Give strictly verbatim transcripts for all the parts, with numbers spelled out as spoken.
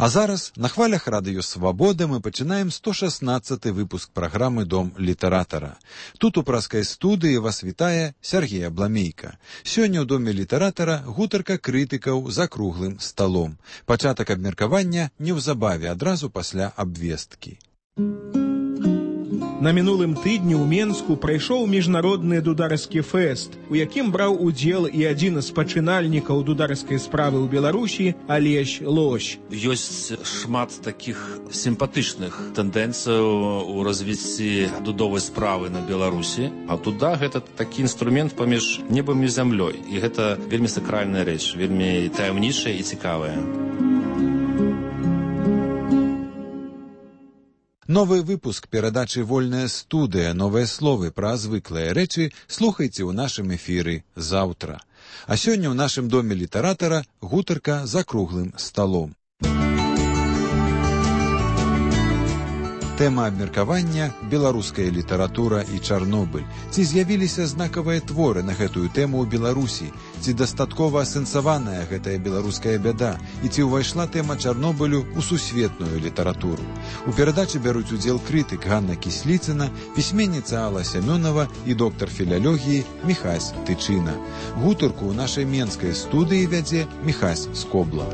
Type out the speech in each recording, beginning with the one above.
А зараз на хвалях Радыё Свабода мы пачынаем сто шаснаццаты выпуск праграмы «Дом літаратара». Тут у праскай студыі вас вітае Сергей Абламейка. Сёння ў Доме літаратара гутарка крытыкаў за круглым сталом. Пачатак абмеркавання неўзабаве, адразу пасля абвесткі. На мінулым тыдні ў Менску прайшоў міжнародны дударскі фэст, у якім браў удзел і адзін з пачынальнікаў дударскай справы ў Беларусі Алесь Лось. Ёсць шмат такіх сімпатычных тэндэнцыяў у развіцці дудовай справы на Беларусі. А туда гэта такі інструмент паміж небам і зямлёй. І гэта вельмі сакральная рэч, вельмі таямнічая і цікавая. Новы выпуск перадачы «Вольная студыя», новыя словы пра звыклыя рэчы слухайце ў нашым эфіры заўтра. А сёння ў нашым Доме літаратара гутарка за круглым сталом. Тэма абмеркавання – беларуская літаратура і Чарнобыль. Ці з'явіліся знакавыя творы на гэтую тэму ў Беларусі? Ці дастаткова асэнсаваная гэтая беларуская бяда? І ці ўвайшла тэма Чарнобылю ў сусветную літаратуру? У перадачы бяруць удзел крытык Ганна Кісліцына, пісьменніца Алла Сямёнова і доктар філалогіі Міхась Тычына. Гутарку ў нашай менскай студыі вядзе Міхась Скобла.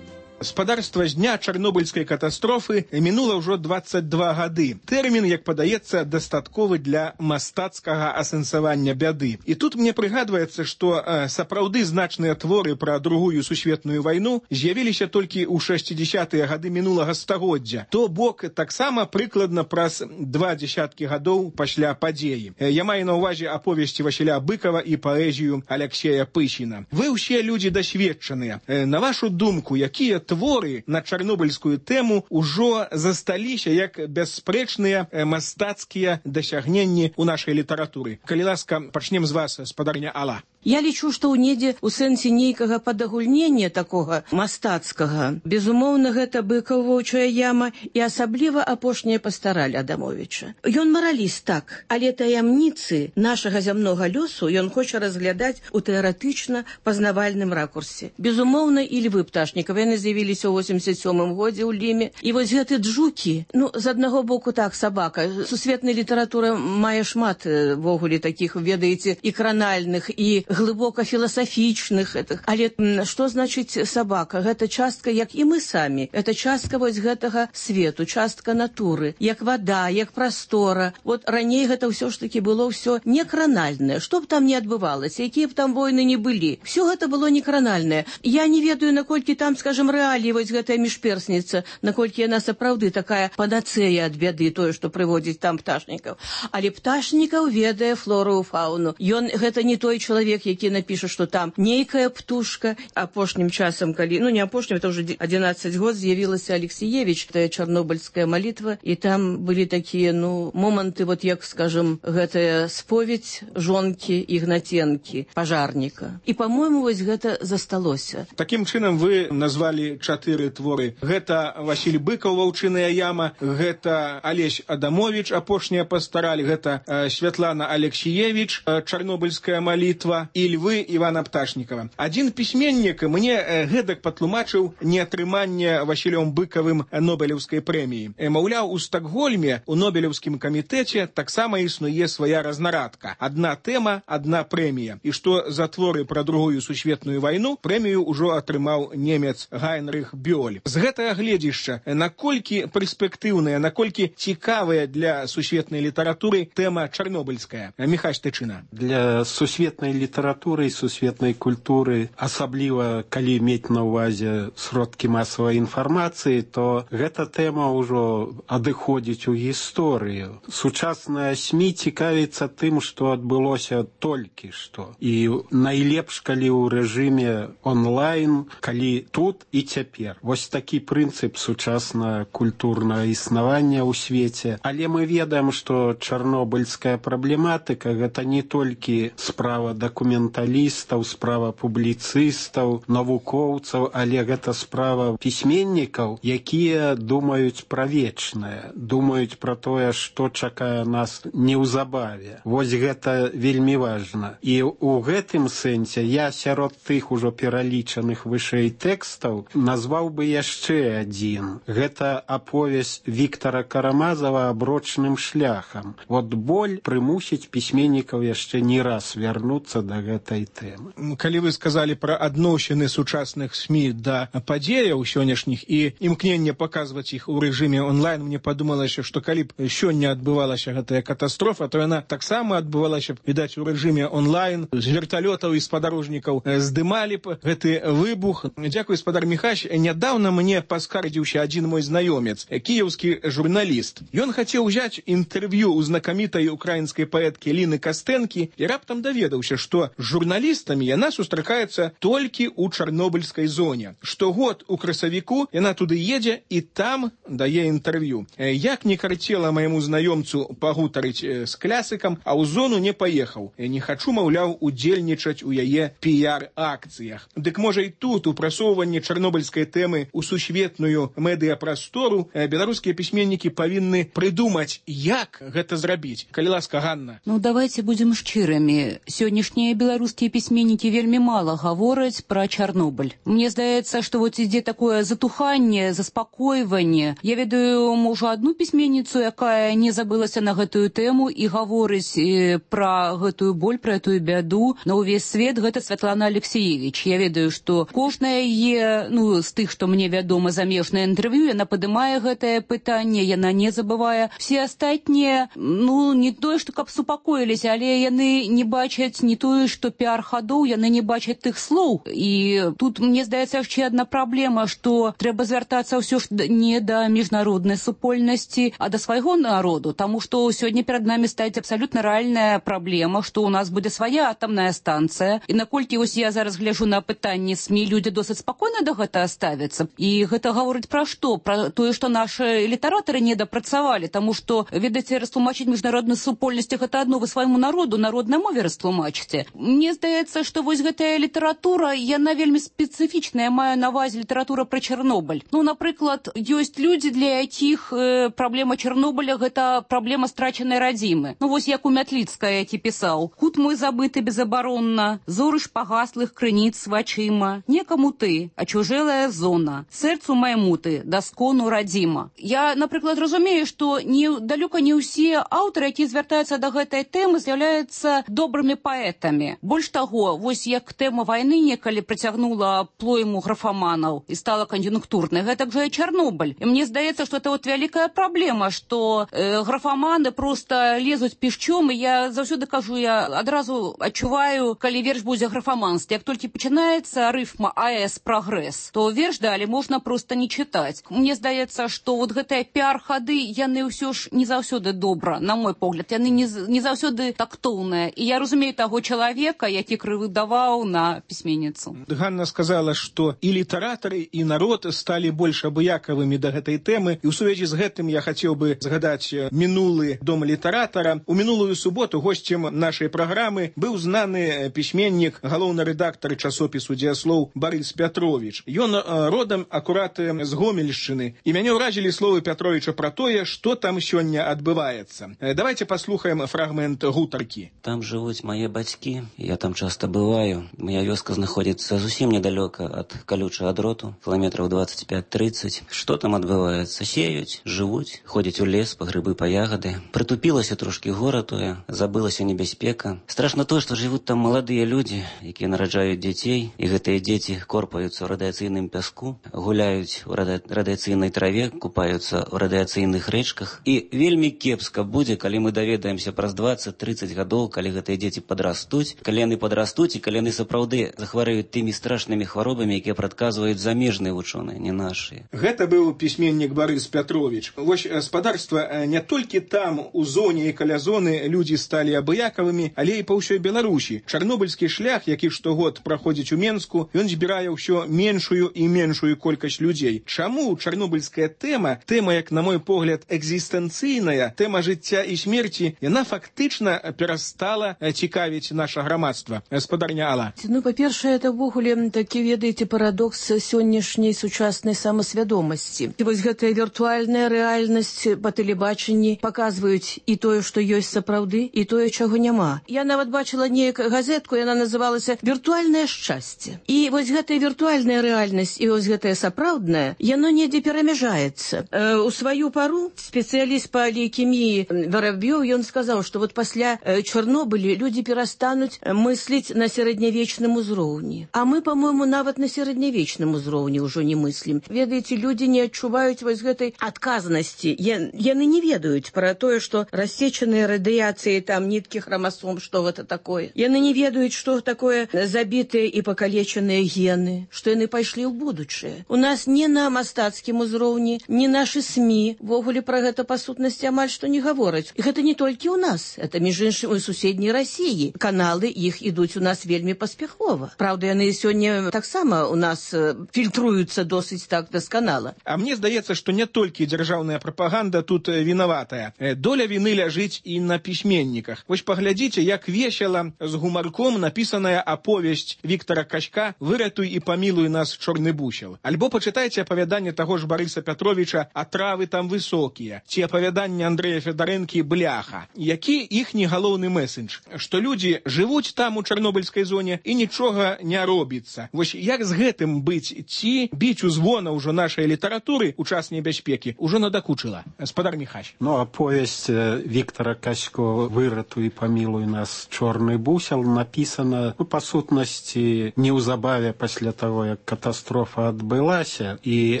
Спадарства з дня чарнобыльскай катастрофы мінула ўжо дваццаць два гады. Тэрмін, як падаецца, дастатковы для мастацкага асэнсавання бяды. І тут мне прыгадваецца, што э, сапраўды значныя творы пра другую сусветную вайну з'явіліся толькі ў шэсцідзесятыя гады мінулага стагоддзя. То бок таксама прыкладна праз два дзесяткі гадоў пасля падзеі. Э, я маю на ўвазе аповесці Васіля Быкова і паэзію Аляксея Пыщіна. Вы ўсе людзі дасведчаныя. Э, на вашу думку, якія творы на чарнобыльскую тэму ўжо засталіся як бясспрэчныя мастацкія дасягненні ў нашай літаратуры. Калі ласка, пачнем з вас, спадарня Алла. Я лічу, што ў недзе ў сэнсе нейкага падагульнення такога мастацкага, безумоўна, гэта Быкаў, Воўчая яма і асабліва апошняя пастараль Адамовіча. Ён мараліст, так, але таямніцы нашага зямнога лёсу ён хоча разглядаць у тэарэтычна пазнавальным ракурсе. Безумоўна, і Львы Пташнікава, яны з'явіліся ў восемьдесят сёмым годзе ў Ліме. І вось гэты джукі, ну, з аднаго боку так, сабака. Сусветная літаратура мае шмат вогуле такіх, ведаеце, і кранальных, і глыбока філасафічных. Але што значыць сабака? Гэта частка, як і мы самі. Это частка вось гэтага свету, частка натуры, як вада, як прастора. Вот раней гэта ўсё ж таки было ўсё не кранальнае. Што б там не адбывалася, якія б там войны не былі. Всё гэта было не кранальнае. Я не ведаю, наколькі там, скажем, рэаліі вось гэтая міжперсніца, наколькі яна сапраўды такая панацэя ад бяды, тое, што прыводзіць там Пташнікаў. Але Пташнікаў ведае флору і фауну. Ён гэта не той чалавек, які напіша, што там нейкая птушка. Апошнім часам, калі, ну не апошнім, это ўжо адзінаццаць год, з'явілася Алексіевіч, тая чарнобыльская малітва, і там былі такія, ну, моманты, вот як, скажем, гэтая споведь жонкі Ігнаценкі, пажарніка. І, па-мойму, вось гэта засталося. Такім чынам вы назвалі чатыры творы. Гэта Васіль Быкаў, Ваўчыная яма, гэта Алесь Адамовіч, апошняя пастараль, гэта э, Святлана Алексіевіч, э, чарнобыльская малітва, і Львы Івана Пташнікава. Адзін пісьменнік мне э, гэтак патлумачыў неатрыманне Васілём Быкавым Нобелеўскай прэміі. Э, маўляў, у Стакгольме, у Нобелеўскім камітэце таксама існуе свая разнарадка. Адна тэма, адна прэмія. І што за творы пра другую сусветную вайну прэмію ўжо атрымаў немец Гайнрых Бёль. З гэтага гледзішча, наколькі перспектыўная, наколькі цікавая для сусветнай літаратуры тэма чарнобыльская? Міхась Тычына. Для сусветнай літаратуры і сусветнай культуры, асабліва калі мець на ўвазе сродкі масавай інфармацыі, то гэта тэма ўжо адыходзіць у гісторыю. Сучасная СМІ цікавіцца тым, што адбылося толькі што. І найлепш, калі ў рэжыме онлайн, калі тут і цяпер. Вось такі прынцып сучасна культурнага існавання ў свеце. Але мы ведаем, што чарнобыльская праблематыка гэта не толькі справа дакументальная, дакументалістаў, справа публіцыстаў, навукоўцаў, але гэта справа пісьменнікаў, якія думаюць пра вечнае, думаюць пра тое, што чакае нас неўзабаве. Вось гэта вельмі важна. І ў гэтым сэнсе я сярод тых ужо пералічаных вышэй тэкстаў назваў бы яшчэ адзін. Гэта аповесць Віктара Карамазава «Аброчным шляхам». Вот боль прымусіць пісьменнікаў яшчэ не раз вярнуцца да гэтай тэмы. Калі вы сказалі пра адносіны сучасных СМІ да падзеяў сённяшніх і імкненне паказваць іх у рэжыме онлайн, мне падумалася, што калі б сёння адбывалася гэтая катастрофа, то яна таксама адбывалася б, відаць, у рэжыме онлайн. З верталётаў і спадарожнікаў здымалі б гэты выбух. Дзякуй, спадар Міхась. Нядаўна мне паскардзіўся адзін мой знаёмец, кіеўскі журналіст. Ён хацеў узяць інтэрв'ю у знакамітай украінскай паэткі Ліны Кастэнкі і раптам даведаўся, што з журналістамі яна сустракаецца толькі ў чарнобыльскай зоне. Штогод у красавіку яна туды едзе і там дае інтэрв'ю. Як не карцела майму знаёмцу пагутарыць з клясыкам, а ў зону не паехаў. Не хачу, маўляў, удзельнічаць у яе піяр-акцыях. Дык можа і тут у прасоўванні чарнобыльскай тэмы ў сусветную медыяпрастору беларускія пісьменнікі павінны прыдумаць, як гэта зрабіць. Калі ласка, Ганна. Ну, давайте будем шчырамі. Сённяшнія беларускія пісьменнікі вельмі мала гавораць пра Чарнобыль. Мне здаецца, што вот ідзе такое затуханне, заспакойванне. Я ведаю, можа, одну пісьменніцу, якая не забылася на гэтую тэму і гаворыць пра гэтую боль, пра этую бяду на ўвесь свет. Гэта Святлана Алексеевич. Я ведаю, што кожная яе, ну, з тых, што мне вядома, замежнае інтэрв'ю, яна падымае гэтае пытанне, яна не забывае. Все астатнія, ну, не тое, што каб супакоіліся, але яны не бачаць не тое, што піар-хадоў, яны не бачаць тых слоў. І тут, мне здаецца, яшчэ адна праблема, што трэба звяртацца ўсё ж не да міжнароднай супольнасці, а да свайго народу, таму што сёння перад намі стаіць абсалютна рэальная праблема, што ў нас будзе свая атамная станцыя. І наколькі вось я зараз гляжу на пытанне СМІ, людзі досыць спакойна да гэтага ставяцца. І гэта гаворыць пра што? Пра тое, што нашы літаратары не дапрацавалі, таму што, ведаеце, растлумачыць міжнародную супольнасць гэта адно, вы свайму народу, народнай мове растлумачыце. Мне здаецца, што вось гэтая літаратура, яна вельмі спецыфічная, маю на ўвазе літаратура пра Чарнобыль. Ну, напрыклад, ёсць людзі, для якіх э, праблема Чарнобыля гэта праблема страчанай радзімы. Ну, вось як у Мятліцкая, які пісаў: «Кут мой забыты безабаронна, зоры ж пагаслых крыніц вачыма, некаму ты, а чужэлая зона, сэрцу майму ты, даскону радзіма». Я, напрыклад, разумею, што не, далёка не ўсе аўтары, якія звяртаюцца да гэтай тэмы, з'яўляюцца добрымі паэтамі. Больш таго, вось як тэма вайны некалі прыцягнула плойму графаманаў і стала кан'юнктурнай, гэтак жа і Чарнобыль. І мне здаецца, што это вот вялікая праблема, што э, графаманы просто лезуць пішчом, і я заўсёды кажу, я адразу адчуваю, калі верш будзе графаманстве. Як толькі пачынаецца рыфма АЭС прагрэс, то верш далі можна просто не чытаць. Мне здаецца, што вот гэтыя піар-хады, яны ўсё ж не заўсёды добра, на мой погляд, яны не, не заўсёды тактоўныя. І я разумею таго чалавека, які крывыдаваў на пісьменніцу. Ганна сказала, што і літаратары, і народ сталі больш абыякавымі да гэтай тэмы. І ў сувязі з гэтым я хацеў бы згадаць мінулы дом літаратара. У мінулую суботу госцем нашай праграмы быў знаны пісьменнік, галоўны рэдактар часопісу «Дзеяслоў» Барыс Пятровіч. Ён родам акурат з Гомельшчыны. І мяне ўразілі словы Пятровіча пра тое, што там сёння адбываецца. Давайте паслухаем фрагмент гутаркі. Там жывуць мае бацькі, я там часта бываю. Моя вёска знаходзіцца зусім недалёка ад калючага дроту, кіламетраў двадцать пять тридцать. Што там адбываецца? Сеюць, жывуць, ходзяць у лес па грыбы, па ягады. Прытупілася трошкі гора тое, забылася небяспека. Страшна тое, што жывуць там маладыя людзі, якія нараджаюць дзяцей, і гэтыя дзеці корпаюцца ў радыяцыйным пяску, гуляюць у рада... радыяцыйнай траве, купаюцца ў радыяцыйных рэчках. І вельмі кепска будзе, калі мы даведаемся праз двадцать тридцать гадоў, калі гэтыя дзеці падрастуць, калі яны падрастуць і калі яны сапраўды захварэюць тымі страшнымі хваробамі, якія прадказваюць замежныя вучоныя, не нашыя. Гэта быў пісьменнік Барыс Пятровіч. Вось спадарства, не толькі там, у зоне і каля зоны, людзі сталі абыякавымі, але і па ўсёй Беларусі. Чарнобыльскі шлях, які штогод праходзіць у Менску, ён збірае ўсё меншую і меншую колькасць людзей. Чаму чарнобыльская тэма, тэма, як на мой погляд, экзістэнцыйная, тэма жыцця і смерці, яна фактычна перастала цікавіць нашых наша грамадства, спадарня Алла? Ну, па-першае, это ўвогуле такі, ведаеце, парадокс сённяшняй сучаснай самасвядомасці. І вось гэтая віртуальная рэальнасць па тэлебачанні паказваюць і тое, што ёсць сапраўды, і тое, чаго няма. Я нават бачыла неяк газетку, яна называлася «Віртуальнае шчасце». І вось гэтая віртуальная рэальнасць і вось гэтая сапраўдная, яно недзе перамяжаецца. Э, у сваю пару спецыяліст па лейкеміі Воробьёў, ён сказаў, што вот пасля э, Чарнобыля людзі перастануць мысліць на сярэднявечным узроўні. А мы, по-моему, нават на сярэднявечным узроўні ўжо не мыслім. Ведаеце, людзі не адчуваюць вось гэтай адказнасці. Я, яны не ведаюць пра тое, што рассечаныя радыяцыі, там, ніткі хромасом, што гэта такое. Яны не ведаюць, што такое забітыя і пакалечаныя гены, што яны пайшлі ў будучае. У нас не на мастацкім узроўні, не нашы СМІ ввогуле пра гэта па сутнасці амаль што не гавораць. І гэта не толькі ў нас, это між іншым у суседняй Расіі. Каналы іх ідуць у нас вельмі паспяхова. Праўда, яны сёння таксама у нас фільтруюцца досыць так дасканала. А мне здаецца, што не толькі дзяржаўная прапаганда тут вінаватая. Доля віны ляжыць і на пісьменніках. Вось паглядзіце, як весела з гумарком напісаная аповесць Віктара Качка «Выратуй і памілуй нас, чорны бусел». Альбо пачытайце апавяданне таго ж Барыса Пятровича «А травы там высокія», ці апавяданне Андрэя Федарэнкі «Бляха». Які іхні галоўны месседж? Што людзі жывуць там у чарнобыльскай зоне і нічога не робіцца. Вось як з гэтым быць? Ці біць у звона ўжо нашай літаратуры у час небяспекі ўжо надакучыла? Спадар Міхась. Ну, аповесць Віктара Качко «Выратуй і памілуй нас, чорны бусел» напісана, ну, па сутнасці, неўзабаве пасля таго, як катастрофа адбылася. І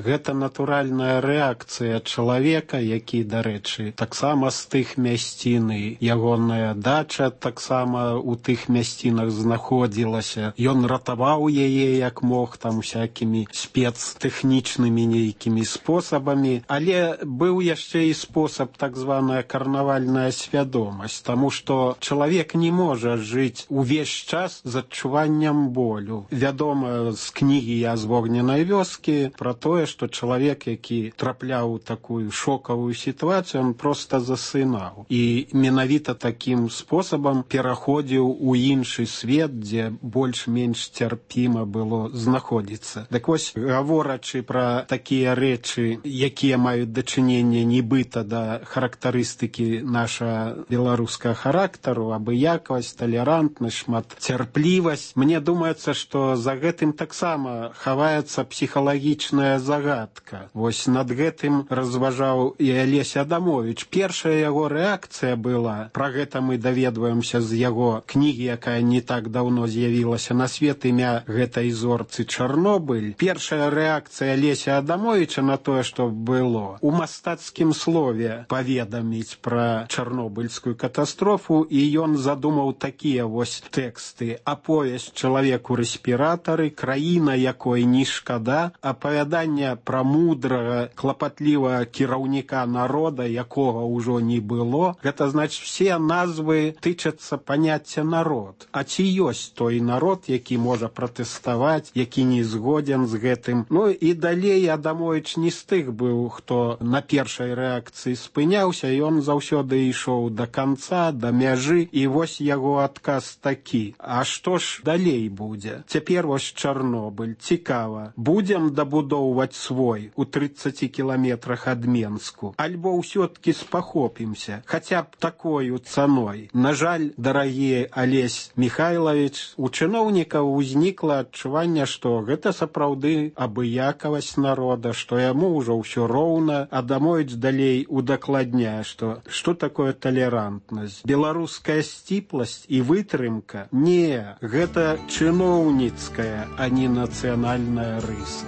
гэта натуральная рэакцыя чалавека, які, дарэчы, таксама з тых мясцін, і ягоная дача таксама у тых мясцінах знаходзілася. Ён ратаваў яе як мог, там всякімі спецтэхнічнымі нейкімі спосабамі, але быў яшчэ і спосаб так званая карнавальная свядомасць, таму што чалавек не можа жыць увесь час з адчуваннем болю. Вядома з кнігі «Я з вогненай вёскі» пра тое, што чалавек, які трапляў у такую шокавую сітуацыю, он проста засынаў. І менавіта такім спосабам пераходзіў у іншы свет, дзе больш-менш цярпіма было знаходзіцца. Так вось, гаворачы пра такія рэчы, якія маюць дачыненне нібыта да характарыстыкі наша беларускага характару, абыякавасць, талерантнасць, шматцярплівасць, мне думаецца, што за гэтым таксама хаваецца псіхалагічная загадка. Вось над гэтым разважаў і Алесь Адамович. Першая яго рэакцыя была, пра гэта мы даведваемся з яго кнігі, якая не так даўно з'явілася на свет, імя гэтай зорцы Чарнобыль. Першая рэакцыя Алеся Адамовича на тое, што было, у мастацкім слове паведаміць пра чарнобыльскую катастрофу, і ён задумаў такія вось тэксты. Аповесць «Чалавек у рэспіратары», краіна, якой не шкада, апавяданне пра мудрага, клапатлівага кіраўніка народа, якога ўжо не было. Гэта значыць, все назвы тычацца паняцця народ. А ці ёсць той народ, які можа пратэставаць, які не згоден з гэтым? Ну і далей Адамович не з тых быў, хто на першай рэакцыі спыняўся, і ён заўсёды ішоў да канца, да мяжы, і вось яго адказ такі. А што ж далей будзе? Цяпер вось Чарнобыль. Цікава. Будзем дабудоўваць свой у трыццаці кіламетрах ад Менску? Альбо ўсё-ткі спахопімся, хаця б такою цаной? На жаль, дарагі Алесь Михайлович, у чыноўнікаў узнікла адчуванне, што гэта сапраўды абыякавасць народа, што яму ўжо ўсё роўна. Адамович далей удакладняе, што што такое талерантнасць? Беларуская сціпласць і вытрымка? Не, гэта чыноўніцкая, а не нацыянальная рыса.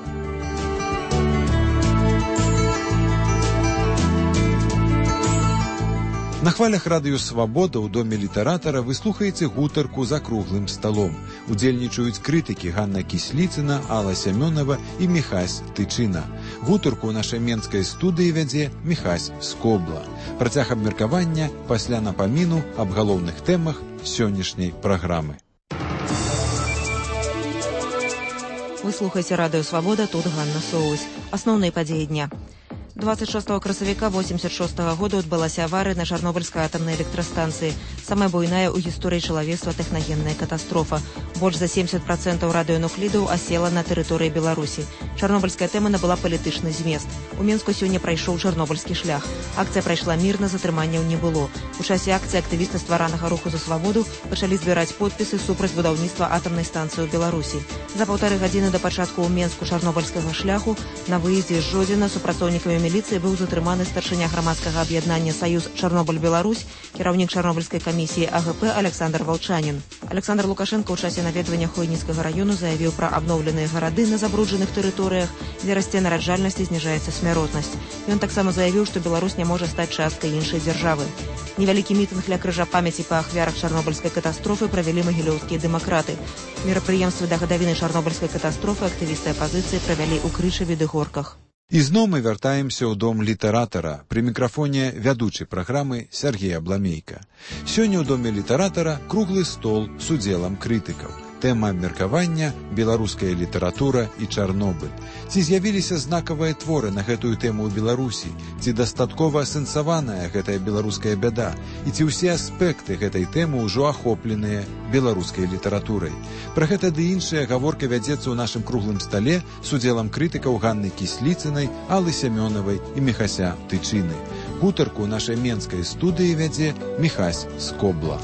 На хвалях радыё «Свабода» ў доме літаратара вы слухаеце гутарку за круглым сталом. Удзельнічаюць крытыкі Ганна Кісліцына, Алла Сямёнова і Міхась Тычына. Гутарку ў нашай менскай студыі вядзе Міхась Скобла. Працяг абмеркавання пасля напаміну аб галоўных тэмах сённяшняй праграмы. Вы слухаеце радыё «Свабода», тут Ганна Соусь. Асноўныя падзеі дня. двадцать шостого красавіка восемьдесят шостого года адбылася аварыя на Чарнобыльскай атамнай электрастанцыі. Самая буйная ў гісторыі чалавецтва тэхнагенная катастрофа. Больш за семьдесят процентаў радыенуклідаў асела на тэрыторыі Беларусі. Чарнобыльская тэма набыла палітычны змест. У Менску сёння прайшоў чарнобыльскі шлях. Акцыя прайшла мірна, затрыманняў не было. У часе акцыі актывісты стваранага руху за свабоду пачалі збіраць подпісы супраць будаўніцтва атамнай станцыі ў Беларусі. За паўтары гадзіны да пачатку ў Менску чарнобыльскага шляху на выездзе з Жодзіна супрацоўнікамі міліцыі быў затрыманы старшыня грамадскага аб'яднання «Саюз Чарнобыль-Беларусь», кіраўнік Чарнобыльскай камісіі А Г П Александр Валчанін. Александр Лукашенко ў часе наведвання Хойніцкага раёну заявіў пра абноўленыя гарады на забруджаных тэрыторыях, дзе расце нараджальнасць і зніжаецца смяротнасць. Ён таксама заявіў, што Беларусь не можа стаць часткай іншай дзяржавы. Невялікі мітынг ля крыжа памяці па ахвярах чарнобыльскай катастрофы правялі магілёўскія дэмакраты. Мерапрыемствы да гадавіны чарнобыльскай катастрофы актывісты апазіцыі правялі ў Крычаве ды Горках. Ізноў мы вяртаемся ў дом літаратара. Пры мікрафоне вядучы праграмы Сергей Абламейка. Сёння ў доме літаратара круглы стол з удзелам крытыкаў. Тэма абмеркавання – беларуская літаратура і Чарнобыль. Ці з'явіліся знакавыя творы на гэтую тэму ў Беларусі? Ці дастаткова асэнсаваная гэтая беларуская бяда? І ці ўсе аспекты гэтай тэмы ўжо ахопленыя беларускай літаратурай? Пра гэта ды іншая гаворка вядзецца ў нашым круглым стале з удзелам крытыкаў Ганны Кісліцынай, Аллы Сямёнавай і Міхася Тычыны. Гутарку ў нашай менскай студыі вядзе Міхась Скобла.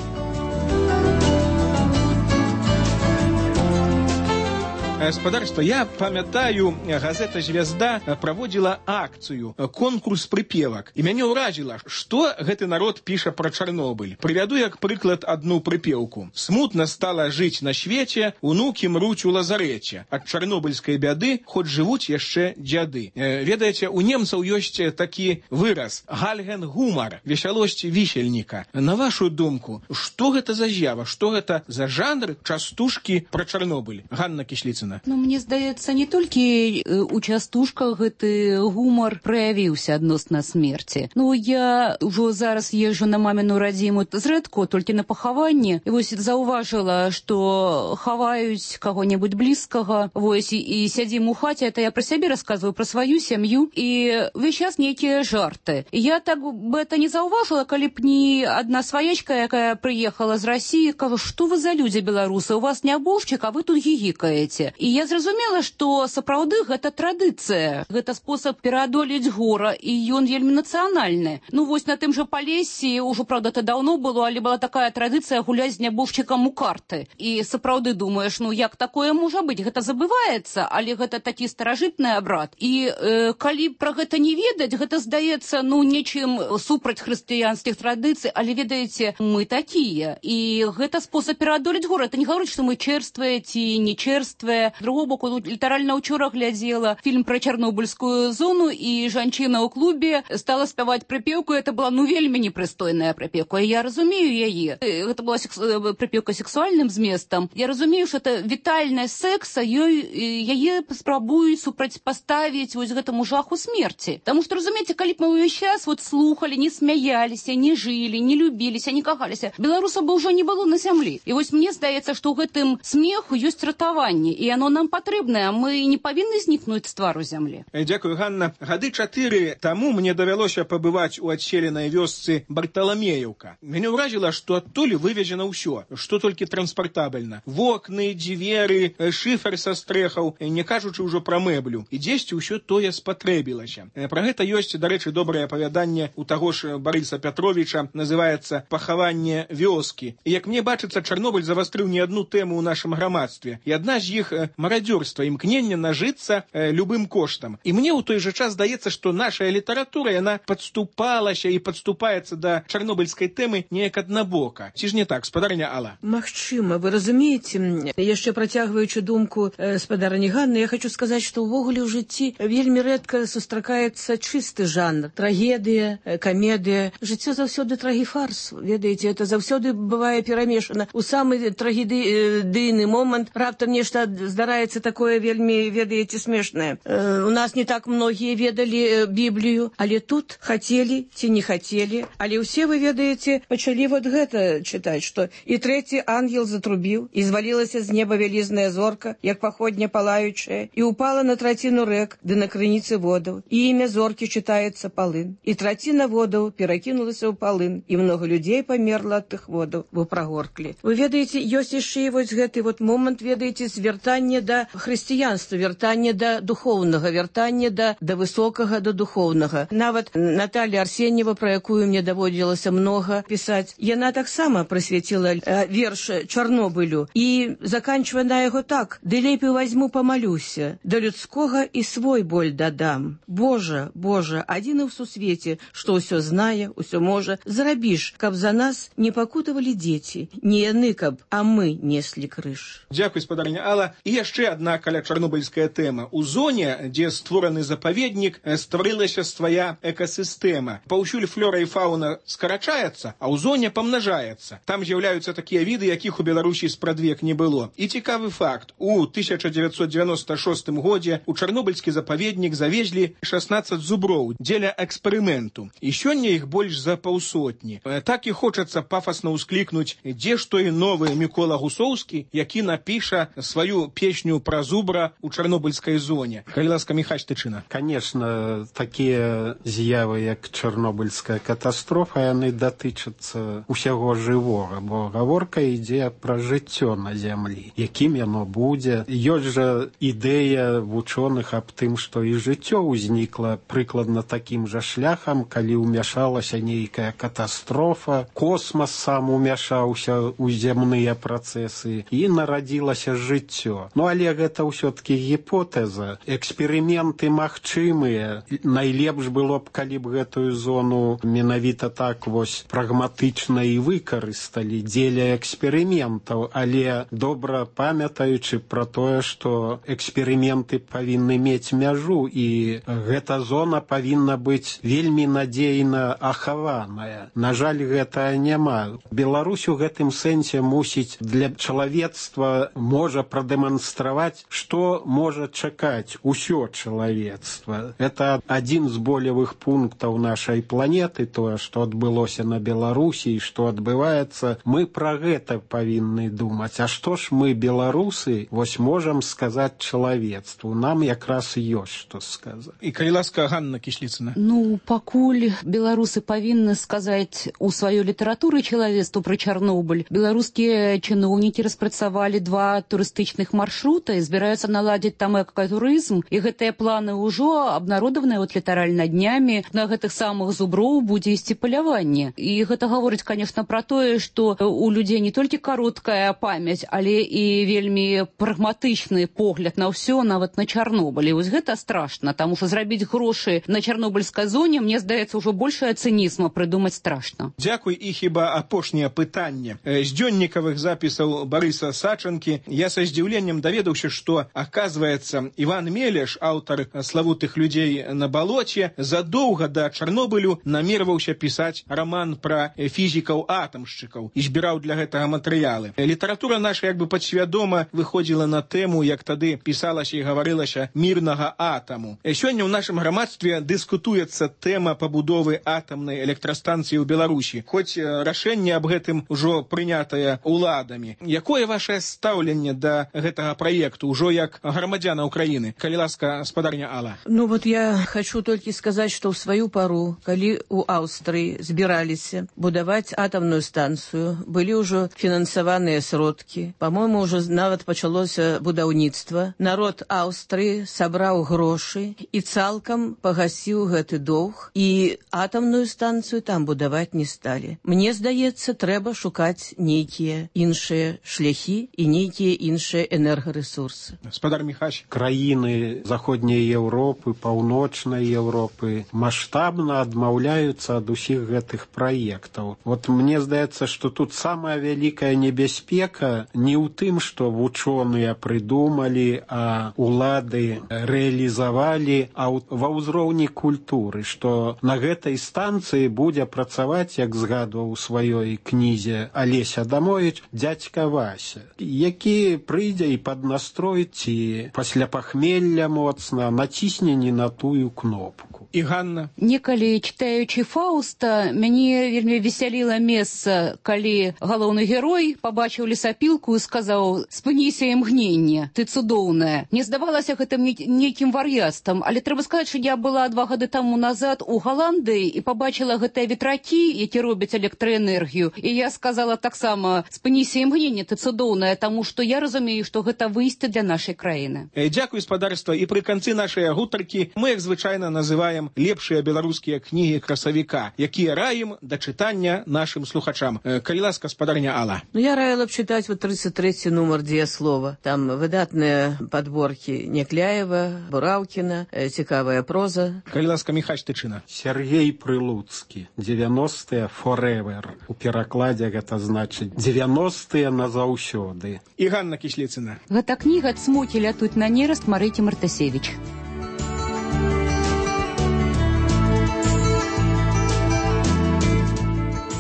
Спадарства, я памятаю, газета «Звезда» праводзіла акцыю, конкурс прыпевак. І мяне ўражыла, што гэты народ піша пра Чарнобыль. Прывяду як прыклад адну прыпеўку. «Смутна стала жыць на свеце, унукі мруць у лазарэце. Ад чарнобыльскай бяды хоць жывуць яшчэ дзяды». Ведаеце, у немцаў ёсць такі выраз «гальген гумар», весялосць вісельніка. На вашу думку, што гэта за з'ява, што гэта за жанр частушкі пра Чарнобыль? Ганна Кісліцына. Ну, мне здаецца, не толькі у частушках гэты гумар праявіўся адносна смерці. Ну, я ўжо зараз езжу на маміну радзіму зрэдку, толькі на пахаванне. І вось заўважыла, што хаваюць каго-небудзь блізкага. Вось, і, і сядзім у хаце, это я пра сябе расказваю, пра сваю сям'ю. І ўвесь час нейкія жарты. Я так бы это не заўважыла, калі б не адна сваячка, якая прыехала з Расіі, кажа, што вы за людзі беларусы, у вас не аборшчык, а вы тут гігікаеце. І я зразумела, што сапраўды гэта традыцыя, гэта спосаб пераадолець гора, і ён вельмі нацыянальны. Ну вось на тым жа Палесе, ўжо, правда, это даўно было, але была такая традыцыя гуляць з нябожчыкам у карты. І сапраўды думаеш, ну як такое можа быць? Гэта забываецца, але гэта такі старажытны абрад. І э, калі пра гэта не ведаць, гэта здаецца, ну, нечым супраць хрысціянскіх традыцый, але ведаеце, мы такія. І гэта спосаб пераадолець гора. Это не гаворыць, што мы чэрствыя ці не чэрствыя. З другого боку, літаральна ўчора глядзела фільм пра чарнобыльскую зону, і жанчына ў клубе стала спяваць прыпеўку, это была, ну, вельмі непрыстойная прыпеўка. Я разумею яе. Гэта была секс... прыпеўка сексуальным зместам. Я разумею, што это вітальная секса, ёй, яе спрабуюць супрацьпаставіць вось гэтаму жаху смерці. Таму што, разумееце, калі б мы ўвесь час вот слухалі, не смяяліся, не жылі, не любіліся, не кахаліся, беларусаў бы ўжо не было на зямлі. І вось мне здаецца, што ў гэтым смеху ёсць ратаванне, і оно нам патрэбнае, мы не павінны знікнуць з твару зямлі. Дзякую, Ганна. Гады чатыры таму мне давялося пабываць у адселенай вёсцы Барталамеевка. Мяне ўразіла, што адтуль вывезена ўсё, што толькі транспартабельна. Вокны, дзверы, шыфер са стрэхаў, не кажучы ўжо пра мэблю. І дзесьці ўсё тое спатрэбілася. Пра гэта ёсць, дарэчы, добрае апавяданне у таго ж Барыса Пятровіча, называецца «Пахаванне вёскі». І як мне бачыцца, Чарнобыль завастрыў не адну тэму ў нашым грамадстве. І адна з іх марадзёрства, імкнення нажыцца э, любым коштам. І мне ў той жа час здаецца, што нашая літаратура, яна падступалася і падступаецца да чарнобыльскай тэмы неяк аднабока. Ці ж не так, спадарня Алла? Магчыма, вы разумееце, яшчэ працягваючы думку э, спадарні Ганны, я хочу сказаць, што ўвогуле ў жыцці вельмі рэдка сустракаецца чысты жанр. Трагедыя, э, камедыя. Жыццё заўсёды трагіфарс. Ведаеце, это заўсёды бывае перамешана. У самы трагедыйны момант раптам нешта здараецца такое вельмі, ведаеце, смешнае. Э, у нас не так многія ведалі э, Біблію, але тут хацелі ці не хацелі, але ўсе, вы ведаеце, пачалі вот гэта чытаць, што і трэці ангел затрубіў, і звалілася з неба вялізная зорка, як паходня палаючая, і упала на траціну рэк, ды на крыніцы водаў, і імя зоркі чытаецца Палын. І траціна водаў перакінулася ў Палын, і много людзей памерла ад тых водаў, бо прагорклі. Вы ведаеце, ёсць яшчэ і вось гэты вот момант, ведаеце, звяртання да хрысціянства, вяртання да духоўнага, вяртання да, да высокага, да духоўнага. Нават Наталья Арсеньева, про якую мне даводзілася многа пісаць, яна таксама прысвяціла э, верш Чарнобылю і заканчвае на яго так: «Ды лепей возьму помолюся, да людскога і свой боль дадам. Божа, Божа, адзіны ў сусвеце, што ўсё знае, ўсё можа, зрабіш, каб за нас не пакутавалі дзеці, не яны, каб, а мы неслі крыж». Дзякуй, спадарня Алла. І яшчэ адна каля чарнобыльская тэма. У зоне, дзе створаны запаведнік, стварылася свая экасістэма. Паўсюль флора і фауна скарачаецца, а ў зоне памнажаецца. Там з'яўляюцца такія віды, якіх у Беларусі спрадвек не было. І цікавы факт. У тысяча дзевяцьсот девяносто шостым годзе у чарнобыльскі запаведнік завезлі шаснаццаць зуброў дзеля эксперыменту. І сёння іх больш за паўсотні. Так і хочацца пафасна ўсклікнуць, дзе ж той новы Мікола Гусоўскі, які напіша сваю песню пра зубра у чарнобыльскай зоне. Калі ласка, Міхась Тычына. Конечно, такія з'явы, як чарнобыльская катастрофа, яны датычацца усяго жывога, бо гаворка ідзе пра жыццё на зямлі. Якім яно будзе? Ёсць жа ідэя вучоных аб тым, што і жыццё ўзнікла прыкладна такім жа шляхам, калі ўмяшалася нейкая катастрофа, космас сам умяшаўся ў зямныя працэсы і нарадзілася жыццё. Ну, але гэта ўсё-ткі гіпотэза. Эксперыменты магчымыя. Найлепш было б, калі б гэтую зону менавіта так вось прагматычна і выкарысталі дзеля эксперыментаў, але добра памятаючы пра тое, што эксперыменты павінны мець мяжу, і гэта зона павінна быць вельмі надзейна ахаваная. На жаль, гэта няма. Беларусь у гэтым сэнсе мусіць для чалавецтва можа прадэманстраваць, што можа чакаць усё чалавецтва. Это адзін з болевых пунктаў нашай планеты, тое, што адбылося на Беларусі і што адбываецца. Мы пра гэта павінны думаць. А што ж мы, беларусы, вось можам сказаць чалавецтву? Нам якраз ёсць што сказаць. І калі ласка, Ганна Кісліцына. Ну, пакуль беларусы павінны сказаць у сваёй літаратуры чалавецтву пра Чарнобыль, беларускія чыноўнікі распрацавалі два турыстычных маршрута і збіраюцца наладзіць там экатурызм, і гэтыя планы ўжо абнародаваныя вот літаральна днямі. На гэтых самых зуброў будзе ісці паляванне. І гэта гаворыць, конечно, пра тое, што у людзей не толькі кароткая памяць, але і вельмі прагматычны погляд на ўсё, нават на Чарнобыль. І вось гэта страшна, таму што зрабіць грошы на чарнобыльскай зоне, мне здаецца, ўжо большая цынізма прыдумаць страшна. Дзякуй. І хіба апошняе пытанне. З дзённікавых запісаў Барыса Сачанкі я са здзіўленнем даведаўся, што, аказваецца, Іван Мелеш, аўтар славутых людзей на балоце, задоўга да Чарнобылю намерваўся пісаць раман пра фізікаў-атамшчыкаў і збіраў для гэтага матэрыялы. Літаратура наша як бы падсвядома выходзіла на тэму, як тады пісалася і гаварылася, мірнага атаму. Сёння ў нашым грамадстве дыскутуецца тэма пабудовы атамнай электрастанцыі ў Беларусі, хоць рашэнне аб гэтым ужо прынятае ўладамі. Якое вашае стаўленне да гэтага праекту ўжо як грамадзяна Украіны? Калі ласка, спадарня Алла. Ну вот я хочу только сказать, что в свою пору, калі у Аўстрыі збіраліся будаваць атамную станцыю, былі ўжо фінансаваныя сродкі. По-моему, уже нават пачалося будаўніцтва. Народ Аўстрыі сабраў грошы і цалкам пагасіў гэты доўг, і атамную станцыю там будаваць не сталі. Мне здаецца, трэба шукаць нейкія іншыя шляхі і нейкія іншыя энергарэсурсы. Спадар Міхась. Краіны заходняй Еўропы, паўночнай Еўропы маштабна адмаўляюцца ад усіх гэтых праектаў. Вот мне здаецца, што тут самая вялікая небяспека не ў тым, што вучоныя прыдумалі, а улады рэалізавалі, а ва ўзроўні культуры, што на гэтай станцыі будзе працаваць, як згадваў у сваёй кнізе Алесь Адамовіч, дзядзька Вася, які прыйдзе і нейкі паднастрой ці пасля пахмелля моцна націсне не на тую кнопку. І Ганна? Некалі, читаючы Фауста, мяне вельмі весяліла месца, калі галоўны герой пабачыў лесапілку і сказаў: «Спыніся, імгненне, ты цудоўная». Мне здавалася гэтым нейкім вар'яцтвам, але трэба сказаць, што я была два гады таму назад у Галандыі і пабачыла гэтыя ветракі, які робяць электраэнергію, і я сказала таксама: «Спыніся, імгненне, ты цудоўная», таму што я разумею, што гэта выйсце для нашай краіны. Дзякуй, спадарства, і пры канцы нашай гутаркі мы, як звычайна, называем лепшыя беларускія кнігі красавіка, якія раім да чытання нашым слухачам. Калі ласка, спадарня Алла. Ну, я раіла б чытаць вот тридцать третий нумар «Дзеяслова». Там выдатныя падборкі Някляева, Бураўкіна, цікавая проза. Калі ласка, Міхась Тычына. Сергей Прылуцкі. девяностые forever. У перакладзе гэта значыць девяностые назаўсёды. І Ганна Кісліцына. Гэта кніга «Цмокі лятуць на нераст» Марыкі Мартасевіч.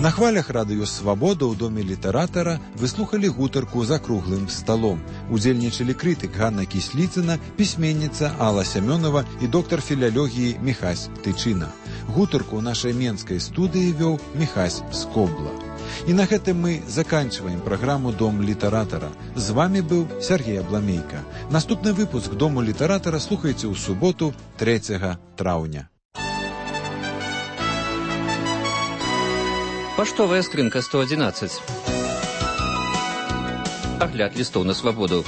На хвалях радыё «Свабода» ў доме літаратара вы слухалі гутарку за круглым сталом. Удзельнічалі крытык Ганна Кісліцына, пісьменніца Алла Сямёнова і доктар філалогіі Міхась Тычына. Гутарку ў нашай менскай студыі вёў Міхась Скобла. І на гэтым мы заканчиваем праграму «Дом літаратара». З вами быў Сергей Абламейка. Наступны выпуск «Дому літаратара» слухайце ў суботу трэцяга траўня. Паштовая скрынка сто адзінаццаць. Агляд лістоў на свабоду.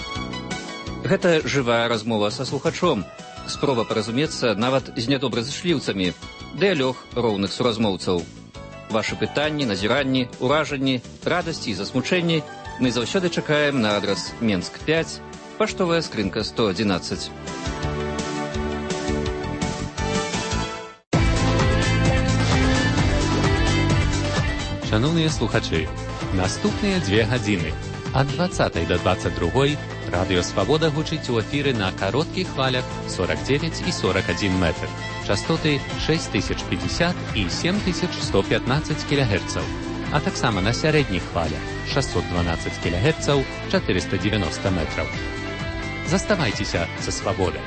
Гэта жывая размова са слухачом. Спроба паразумецца нават з нядобразышліўцамі. Дыялог роўных суразмоўцаў. Вашы пытанні, назіранні, уражанні, радасці і засмучэнні мы заўсёды чакаем на адрас Менск пяць, паштовая скрынка сто адзінаццаць. Шановныя слухачы, наступныя дзве гадзіны ад дваццатай да дваццаць другой радыё «Свабода» гучыць у эфіры на кароткіх хвалях сорок девять і сорок один метр, частоты шесть тысяч пятьдесят і семь тысяч сто пятнадцать кілягерцаў, а таксама на сярэдніх хвалях шестьсот двенадцать кілягерцаў, четыреста девяносто метраў. Заставайцеся са «Свабодай».